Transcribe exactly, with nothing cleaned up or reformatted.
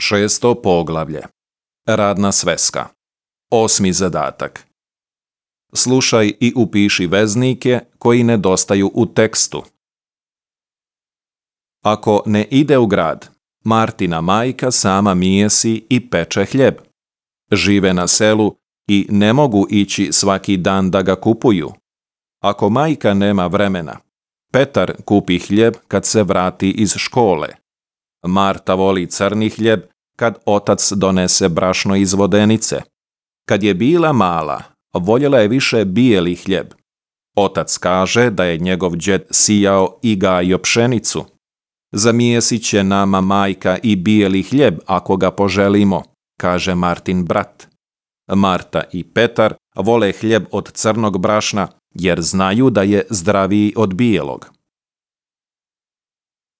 Šesto poglavlje. Radna sveska. Osmi zadatak. Slušaj i upiši veznike koji nedostaju u tekstu. Ako ne ide u grad, Martina majka sama mijesi i peče hljeb. Žive na selu i ne mogu ići svaki dan da ga kupuju. Ako majka nema vremena, Petar kupi hljeb kad se vrati iz škole. Marta voli crni hljeb kad otac donese brašno iz vodenice. Kad je bila mala, voljela je više bijeli hljeb. Otac kaže da je njegov džed sijao i gajio pšenicu. Zamijesit će nama majka i bijeli hljeb ako ga poželimo, kaže Martin brat. Marta i Petar vole hljeb od crnog brašna jer znaju da je zdraviji od bijelog.